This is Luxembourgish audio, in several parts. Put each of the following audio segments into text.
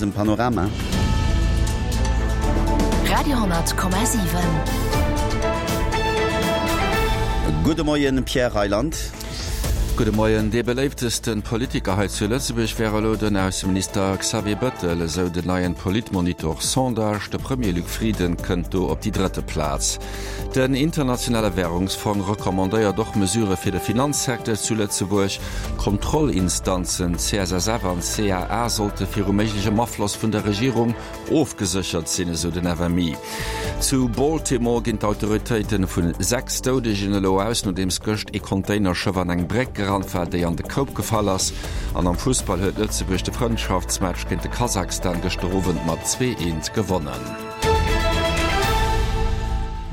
Dem Panorama. Radio,7. Gudde Moien, Pierre Reyland. Gudde Moien. Dee beléiftesten Politiker hei zu Lëtzebuerg wär elo den Ausseminister Xavier Bëttel, esou den neien Politmonitor Sondage. De Premier Luc Frieden kënnt do op déi drëtte Plaz. Den internationale Wärungsfong recommandéiert och Mesurë fir de Finanzsecteur zu Lëtzebuerg. D'Kontrollinstanzen CSSF an CAA sollte viru méiglechem Afloss vun der Regierung ofgeséchert sinn, esou den FMI. Zu Baltimore ginn d'Autoritéite vu 6 Doudegen elo aus, nodeems gëscht ee Containerschëff an eng Bréck gerannt war, déi an de Koup gefall ass. An am Fussball huet Lëtzebuerg de Frëndschaftsmatch géint de Kasachstan gëschter Owend mat 2, 1 gewonnen.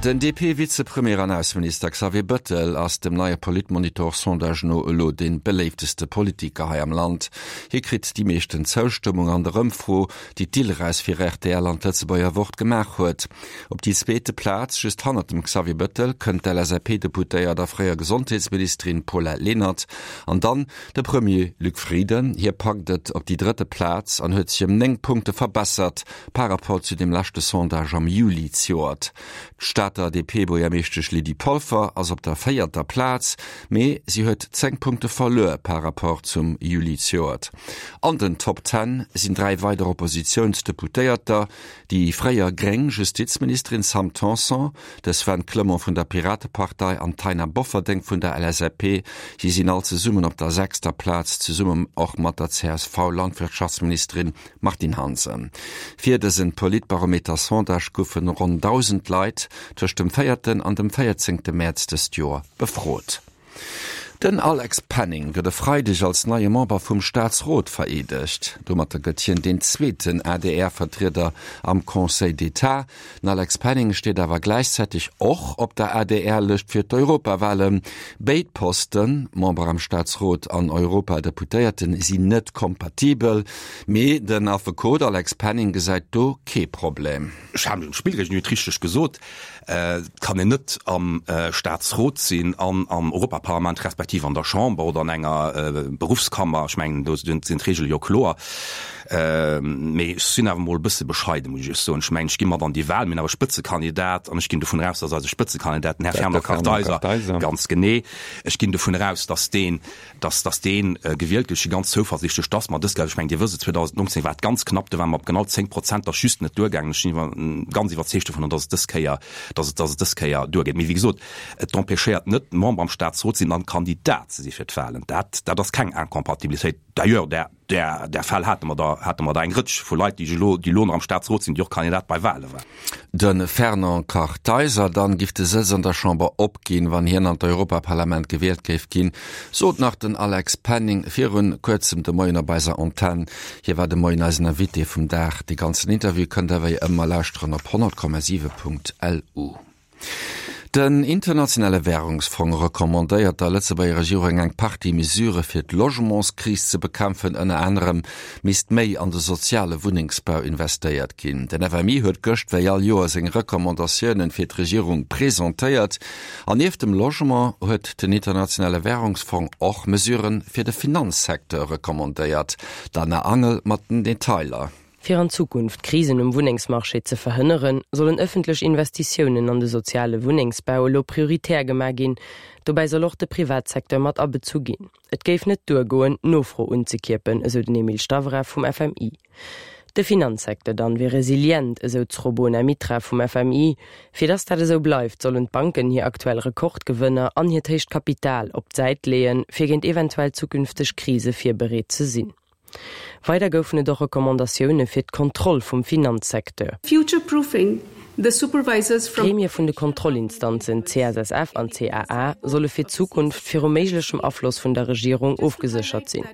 Den DP-Vizepremier an Ausseminister Xavier Bëttel ass dem neie Politmonitor-Sondage no elo dee beléifteste Politiker hei am Land. Hie kritt déi meeschten Zoustëmmung an der Ëmfro, déi d'Ilres fir rtl an d'Lëtzebuerger Wort gemaach huet. Op déi zweete Plaz, just hannert dem Xavier Bëttel, kënnt d'LSAP-Deputéiert a fréier Gesondheetsministerin Paulette Lenert an dann de Premier Luc Frieden. Hie packt et op déi drëtte Plaz an huet sech ëm 9 Punkte verbessert. Par rapport zu dem leschte Sondage am Juli zejoert. D'Stater DP-Buergermeeschtesch Lydie Polfer ass op der véierter Plaz, mee si huet 10 Punkte verluer par rapport zum Juli zejoert. An den Top Ten sinn 3 weider Oppositiounsdeputéierter, déi fréier gréng Justizministerin Sam Tanson, de Sven Clement vun der Piratepartei an d'Taina Bofferdeng vun der LSAP. Si sinn all zesummen op der sechster Plaz, zesummen och mat der CSV-Landwirtschaftsministerin Martine Hansen, Fir dësen Politbarometer-Sondage goufen ronn 1.000 Leit tëscht dem véierten an dem véierzéngte Mäerz dëst Joer befrot. Den Alex Penning gëtt e Freideg als neie Member vum Staatsrot vereedegt. Domatter gëtt hien deen zweeten ADR-Vertrieder am Conseil d'État. Den Alex Penning steet awer gläichzäiteg och op der ADR-Lëscht fir d'Europawalen. Béid Posten, Member am Staatsrot an Europadeputéierten, sinn net kompatibel. Mee den Affekot Alex Penning gesäit do kee Problem. Ech hat mech un d'Spillregeln, Dir hutt richteg gesot, et kann een net am Staatsrot sinn an am Europaparlament respektiv an der Chamber oder an enger Beruffskammer. Ech mengen, do sinn d'Regele jo kloer. Mee ech sinn awer emol e bësse bescheiden, muss ech Iech soen. Ech mengen, ech gi mat an déi Wahl, mir hunn awer e Spëtzekandidat an ech ginn dovun eraus, dass eise Spëtzekandidat, den Här Fernand Kartheiser, ganz genee, ech ginn dovun eraus, dass deen, dass, dass dee gewielt gëtt. Ech si ganz zouversiichtlech, dass mer dës Kéier, ech mengen, Dir wësst et, 2019 war et ganz knapp, do ware mer op genau 10 Prozent, dat ass just net duergaangen. Ech sinn iwwer, ganz iwwerzeegt dovun, dass et dës Kéier, dass et, dass et dës Kéier duergeet. Mee wéi gesot, et empêchéiert net, Member am Staatsrot ze sinn an Kandidat ze si fir d'Wahlen. Dat, dat ass keng Incompatibilitéit. D'ailleurs, där, där, där Fäll hate mer der, hate mer der eng Rëtsch vu Leit, déi elo, déi elo nach am Staatsrot sinn, déi och Kandidat bei Wahle waren. De Fernand Kartheiser dann giff de Sëtz an der Chamber opginn, wann hien an d'Europaparlament gewielt géif ginn, sot nach den Alex Penning virun kuerzem de Moien op eiser Antenn. Hie war de Moien eisen Invité vum Dag. De ganzen Interview kënnt der wéi ëmmer lauschteren op 100,7.lu. Den internationale Wärungsfong recommandéiert der Lëtzebuerger Regierung eng Partie Mesurë fir d'Logementskris ze bekämpfen. Ënner anerem misst méi an de soziale Wunnengsbau investéiert ginn. Den FMI huet gëscht wéi all Joer seng Recommandatioune fir d'Regierung presentéiert. An nieft dem Logement huet den internationale Wärungsfong och Mesurë fir de Finanzsecteur recommandéiert. D'Anna Angel mat den Detailer. Fir an Zukunft Krisen um Wunnengsmarché ze verhënneren, sollen ëffentlech Investitiounen an de soziale Wunnengsbau elo prioritär gemaach ginn. Dobäi soll och de Privatsecteur mat abezu ginn. Et géif net duergoen, d'Nofro unzekierpen, esou den Emil Stavrev vum FMI. De Finanzsecteur dann wier resilient, esou d'Srobona Mitra vum FMI. Fir dass dat esou bleift, sollen d'Banken hir aktuell Rekordgewënner an hiert héicht Kapital op d'Säit leeën, fir géint eventuell zukünfteg Krise virbereet ze sinn. Weider goufen et och Recommandatioune fir d'Kontroll vum Finanzsecteur. Future-proofing the supervisors from. D'Gremie vun de Kontrollinstanzen CSSF an CAA solle fir d'Zukunft viru méiglechem Afloss vun der Regierung ofgeséchert sinn.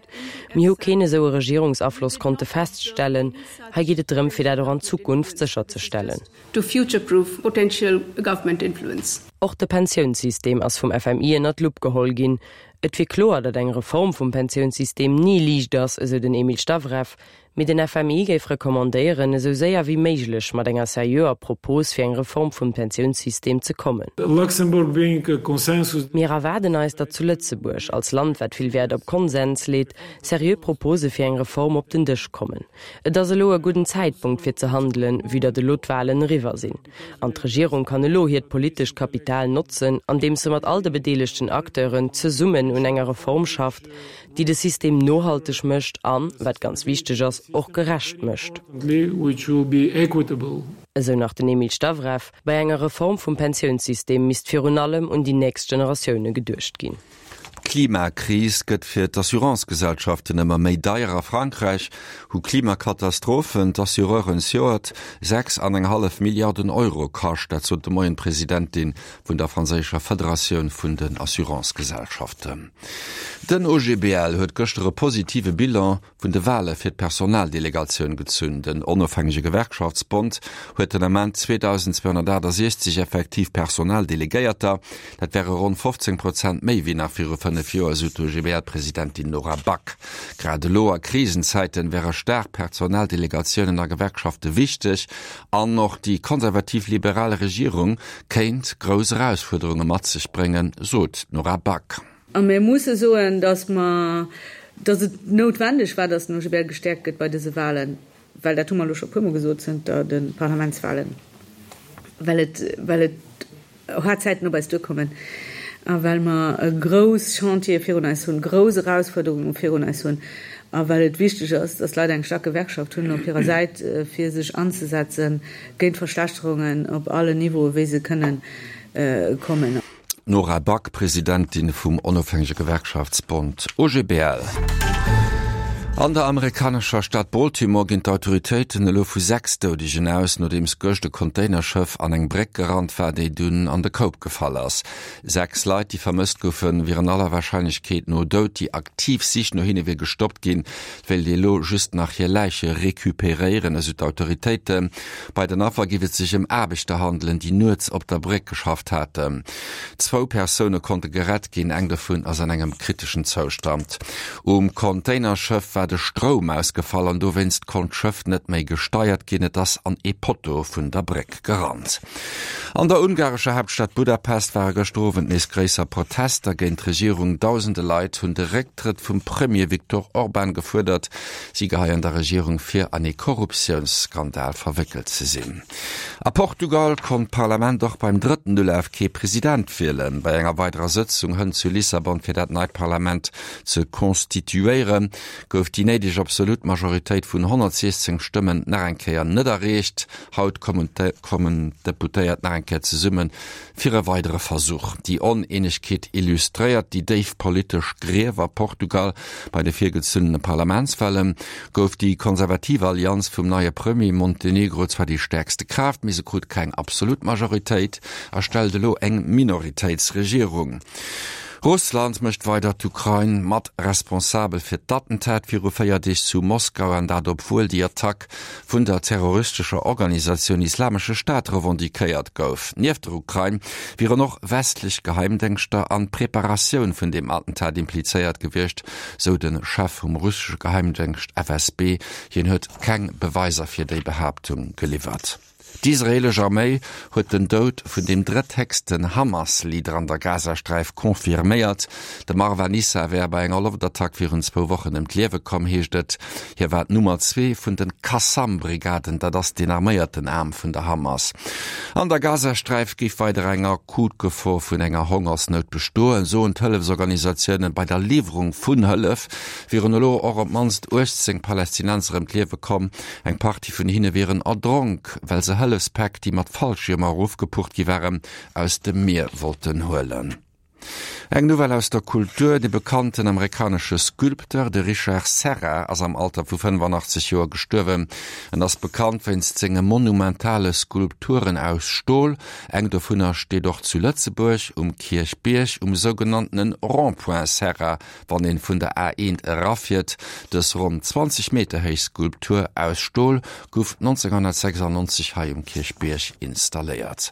Mir hu keen esou e Regierungsafloss konnte feststellen. Hei geet et drëm, fir dat och an Zukunft sécherzestellen. To future-proof potential government influence. Och de Pensiounssystem ass vum FMI ënner d'Lupp geholl ginn. Et wier kloer, datt eng Reform vum Pensiounssystem ni liicht ass, esou den Emil Stavrev. Mee den FMI géif recommandéieren, esou séier wéi méiglech mat enger seriöer Propos fir eng Reform vum Pensiounssystem ze kommen. Mir erwaarden eis, datt zu Lëtzebuerg, als Land wat vill Wäert op Konsens leet, seriö Propose fir eng Reform op den Dësch kommen. Et ass elo e gudden Zäitpunkt fir ze handelen, vue datt elo d'Wahlen eriwwer sinn. An d'Regierung kann elo hiert politescht Kapital notzen, andeems se mat all de bedeelegten Acteuren zesummen un enger Reform schafft, déi de System nohalteg mécht an, wat ganz wichteg ass, och gerecht mécht. Esou nach den Emil Stavrev. Bei enger Reform vum Pensiounssystem misst virun allem un déi nächst Generatioune geduecht ginn. D'Klimakris gëtt fir d'Assurancegesellschaften ëmmer méi deier. A Frankräich hu Klimakatastrophen d'Assureuren zejoert 6 an eng hallef Milliarden Euro kascht. Dat sot de Moien d'Presidentin vun der franséischer Federatioun vun den Assurancegesellschaften. Den OGBL huet gëschter e positive Bilan vun de Wale fir d'Personaldelegatioun gezunn. Den onofhängege Gewerkschaftsbond huet den Ament 2.268 effektiv Personaldelegéierter. Dat wäre ronn 15 Prozent méi wéi nach viru 5 Joer, esou d'OGBL-Presidentin Nora Back. Grad elo a Krisenzäiten wäre staark Personaldelegatiounen a Gewerkschafte wichteg an och déi konservativ-liberal Regierung kéint grouss Erausfuerderunge mat sech bréngen, sot d'Nora Back. A mir musse soen, dass mer, dass et noutwendeg war, dass den OGBL gestäerkt gëtt bei dëse Wahlen, well, dat hu mer elo scho e puermol gesot zënter de Parlamentswahlen, well et, well et haart Zäiten op eis duerkommen a well mer grouss Chantiere virun eis hunn, grouss Erausfuerderunge virun eis hunn a well et wichteg ass, dass d'Leit eng staark Gewerkschaft hunn op hirer Säit, fir sech anzesetze géint Verschlechterungen op allen Niveaue wéi se kënnen kommen. D'Nora Back, Presidentin vum onofhängege Gewerkschaftsbond OGBL. An der amerikanescher Stad Baltimore ginn d'Autoritéiten elo vu 6 Doudegen aus, nodeems gëscht e Containerschëff an eng Bréck gerannt war, déi dunn an de Koup gefall ass. 6 Leit, déi vermësst goufen, wieren aller Warscheinlechkeet no dout. Déi aktiv Sich no hinne wier gestoppt ginn. Et wéilt ee elo just nach hir Läiche recuperéieren, esou d'Autoritéiten. Bei den Affer géif et sech ëm Aarbechter handelen, déi nuets op der Bréck geschafft haten. Zwou Persoune konnte gerett ginn, eng dovun ass an engem kriteschen Zoustand. Um Containerschëff war de Stroum ausgefall an dowéinst konnt d'Schëff net méi gesteiert ginn. Et ass an ee Potto vun der Bréck gerannt. An der ungarescher Haaptstad Budapest ware gëschter Owend nees gréisser Protester géint d'Regierung. Dausende Leit hunn de Récktrëtt vum Premier Viktor Orban gefuerdert. Si geheien der Regierung vir, an ee Korruptiounsskandal verwéckelt ze sinn. A Portugal konnt d'Parlament och beim drëtten Ulaf kee President wielen. Bei enger weiderer Sëtzung hënt zu Lissabon fir dat neit Parlament ze constituéieren, gouf déi néideg absolut Majoritéit vun 116 Stëmmen nach eng Kéier net erreecht. Haut kommen d'Deputéiert nach eng Kéier zesumme fir e weidere Versuch. Déi Oneenegkeet illustréiert déi déif politesch Grief a Portugal. Bei de virgezunnene Parlamentswale gouf déi konservativ Allianz vum neie Premier Montenegro zwar déi stäerkste Kraaft, mee se krut keng absolut Majoritéit a stellt elo eng Minoritéitsregierung. Russland mécht weider d'Ukrain mat responsabel fir d'Attentat viru 4 Deeg zu Moskau, an dat obwuel déi Attack vun der terroristescher Organisatioun Islamesche Staat revendiquéiert gouf. Nieft der Ukrain wieren och westlech Geheimdéngschter an d'Preparatioun vun deem Attentat implizéiert gewiescht, sou de Chef vum russesche Geheimdéngscht FSB. Hien huet keng Beweiser fir déi Behaaptung geliwwert. D'israeelesch Arméi huet den Doud vun dem drëtthéchsten Hamas-Leader an der Gazasträif confirméiert. De Marwan Issa wär bei enger Loftattack virun zwou Wochen ëm d'Liewe komm, heescht et. Hie war d'Nummer zwee vun de Qassam-Brigaden, dat ass deen arméierten Aarm vun der Hamas. An der Gazasträif géif weider eng akut Gefor vun enger Hongersnout bestoen, soen d'Hëllefsorganisatiounen. Bei der Liwwerung vun Hëllef wieren elo och op d'mannst 18 Palästinenser ëm d'Liewe komm. Eng Partie vun hinne wieren erdronk, well se Hëllefspäck, déi mat Fallschiermer erofgepucht gi waren, aus dem Mier wollten huelen. Eng Nouvelle aus der Kultur, De bekannten amerikanesche Sculpteur, de Richard Serra, ass am Alter vu 85 Joer gestuerwen. En ass bekannt wéinst senge monumentale Skulpturen aus Stol. Eng dovunner steet och zu Lëtzebuerg um Kierchbierg um sougenanntene Rond-point Serra. Wann een vun der A1 erafiert. Dës ronn 20 Meter héich Skulptur aus Stol gouf 1996 hei um Kierchbierg installéiert.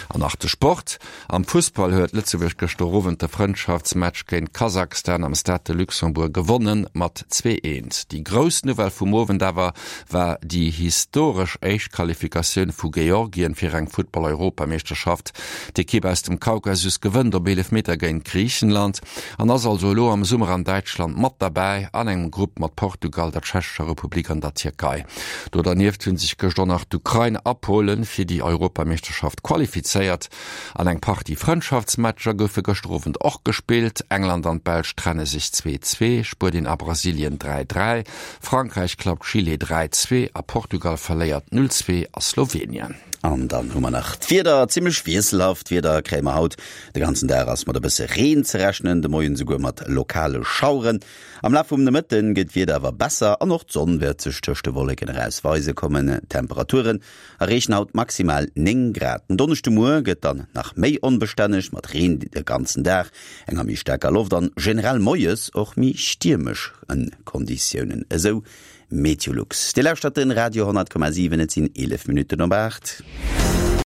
An nach de Sport, Am Fussball huet Lëtzebuerg gëschter. gëschter Owend de Frëndschaftsmatch géint Kasachstan am Stade de Luxembourg gewonnen mat 2, 1. Déi grouss Nouvelle vum Owend awer war déi historesch éischt Qualifikatioun vu Georgien fir eng Futtball-Europameeschterschaft. D'Ekipp aus dem Kaukasus gewënnt op Eelefmeter géint Griichenland an ass also elo am Summer an Däitschland mat derbäi an engem Grupp mat Portugal, der Tschechescher Republik an der Tierkei. Do dernieft hu sech gëscht och nach d'Ukrain a Polen fir déi Europameeschterschaft qualifizéiert. An eng Partie Frëndschaftsmatcher goufe gëschter Owend och gespillt. England an d'Belsch trenne sech 2, 2, Spuenien a Brasilien 3, 3, Frankräich klappt Chile 3, 2 a Portugal verléiert 0, 2 a Slowenien. An dann hu mer nach d'Wieder, Zimmlech wiesselhaft Wieder kréie mer haut. De ganzen Dag ass mat e bësse Reen ze rechnen, de Moien esouguer mat lokale Schaueren. Am Laf vum Nomëtte gëtt d'Wieder awer besser an och d'Sonn wäert sech tëscht de Wolleken eraus weise kommen. D'Temperaturen erreechen haut maximal 9 Grad. Den Donneschdemuer gëtt dann nach méi onbestänneg mat Reen de ganzen Dag, enger méi staarker Loft an generell moies och méi stiermeschen Konditiounen, esou Meteolux. Dir lauschtert den Radio 10,7, et sinn 11 Minutten op 8.